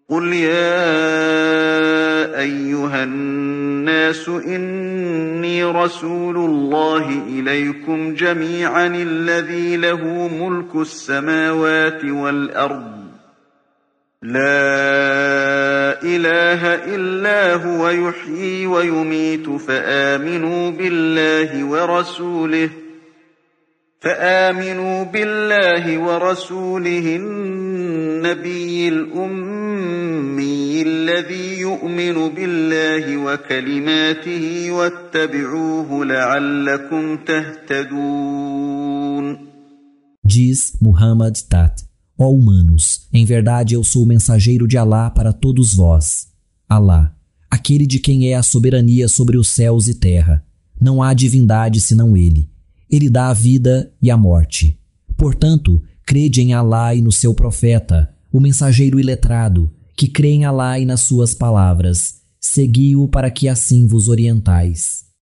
قل يا أيها الناس إني رسول الله إليكم جميعا الذي له ملك السماوات والأرض لا إله إلا هو يحيي ويميت فآمنوا بالله ورسوله النبي الأمي الذي يؤمن بالله وكلماته واتبعوه لعلكم تهتدون. Diz Muhammad Tat: Ó humanos, em verdade eu sou o mensageiro de Alá para todos vós. Alá, aquele de quem é a soberania sobre os céus e terra. Não há divindade senão ele. Ele dá a vida e a morte. Portanto, crede em Alá e no seu profeta, o mensageiro iletrado, que crê em Alá e nas suas palavras. Segui-o para que assim vos orientais.